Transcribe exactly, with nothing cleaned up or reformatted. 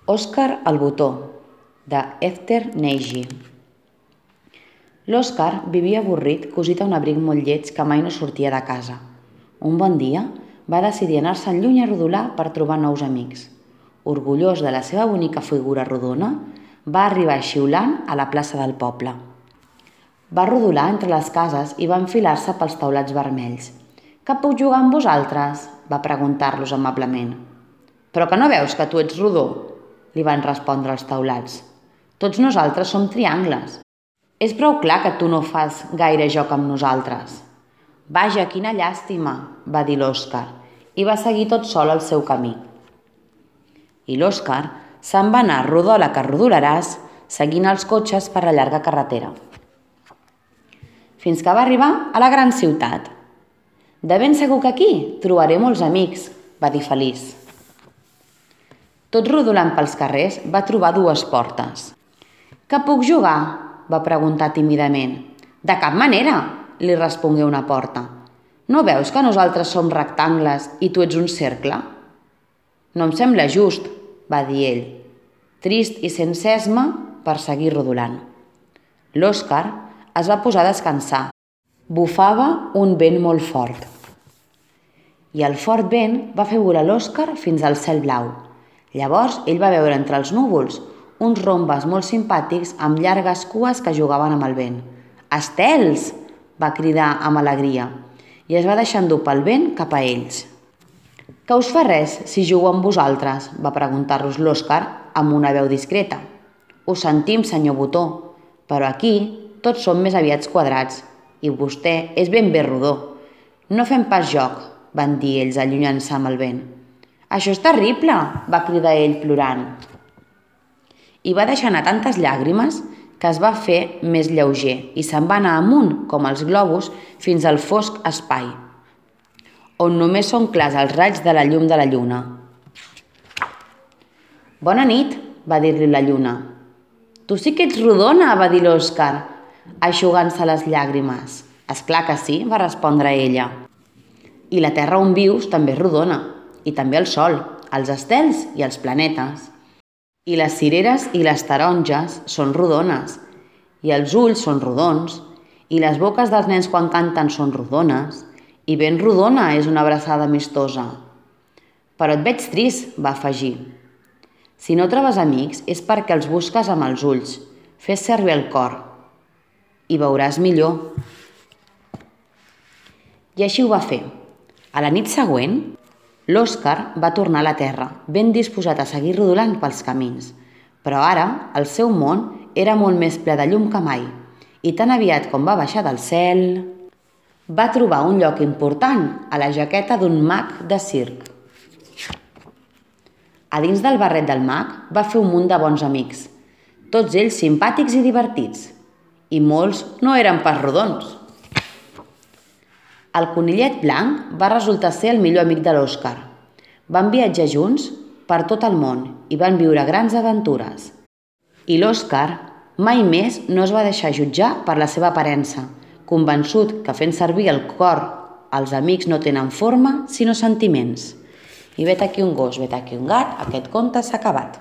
Òscar el botó, de Esther Neigi. L'Òscar vivia avorrit cosit a un abric molt lleig que mai no sortia de casa. Un bon dia va decidir anar-se'n lluny a rodolar per trobar nous amics. Orgullós de la seva bonica figura rodona, va arribar xiulant a la plaça del poble. Va rodolar entre les cases i va enfilar-se pels taulats vermells. «Que puc jugar amb vosaltres?», va preguntar-los amablement. «Però que no veus que tu ets rodó?», li van respondre els taulats. «Tots nosaltres som triangles. És prou clar que tu no fas gaire joc amb nosaltres». «Vaja, quina llàstima», va dir l'Òscar, i va seguir tot sol el seu camí. I l'Òscar se'n va anar rodola que rodolaràs, seguint els cotxes per la llarga carretera. Fins que va arribar a la gran ciutat. «De ben segur que aquí trobaré molts amics», va dir feliç. Tot rodolant pels carrers va trobar dues portes. «Que puc jugar?», va preguntar tímidament. «De cap manera», li respongué una porta. «No veus que nosaltres som rectangles i tu ets un cercle?» «No em sembla just», va dir ell, trist i sense esma per seguir rodolant. L'Òscar es va posar a descansar. Bufava un vent molt fort. I el fort vent va fer volar l'Òscar fins al cel blau. Llavors ell va veure entre els núvols uns rombes molt simpàtics amb llargues cues que jugaven amb el vent. «Estels!», va cridar amb alegria i es va deixar endur pel vent cap a ells. «Què us fa res si jugo amb vosaltres?», va preguntar-los l'Òscar amb una veu discreta. «Ho sentim, senyor Botó, però aquí tots som més aviat quadrats i vostè és ben bé rodó. No fem pas joc», van dir ells allunyant-se amb el vent. «Això és terrible!», va cridar ell plorant. I va deixar anar tantes llàgrimes que es va fer més lleuger i se'n va anar amunt, com els globus, fins al fosc espai, on només són clars els raigs de la llum de la lluna. «Bona nit», va dir-li la lluna. «Tu sí que ets rodona», va dir l'Òscar, eixugant-se les llàgrimes. «És clar que sí», va respondre ella. «I la terra on vius també és rodona, i també el sol, els estels i els planetes. I les cireres i les taronges són rodones, i els ulls són rodons, i les boques dels nens quan canten són rodones, i ben rodona és una abraçada amistosa. Però et veig trist», va afegir. «Si no trobes amics és perquè els busques amb els ulls. Fes servir el cor i veuràs millor». I així ho va fer. A la nit següent, l'Òscar va tornar a la terra, ben disposat a seguir rodolant pels camins. Però ara el seu món era molt més ple de llum que mai, i tan aviat com va baixar del cel, va trobar un lloc important a la jaqueta d'un mag de circ. A dins del barret del mag va fer un munt de bons amics, tots ells simpàtics i divertits, i molts no eren pas rodons. El conillet blanc va resultar ser el millor amic de l'Òscar. Van viatjar junts per tot el món i van viure grans aventures. I l'Òscar mai més no es va deixar jutjar per la seva aparença, convençut que fent servir el cor els amics no tenen forma sinó sentiments. I vet aquí un gos, vet aquí un gat, aquest conte s'ha acabat.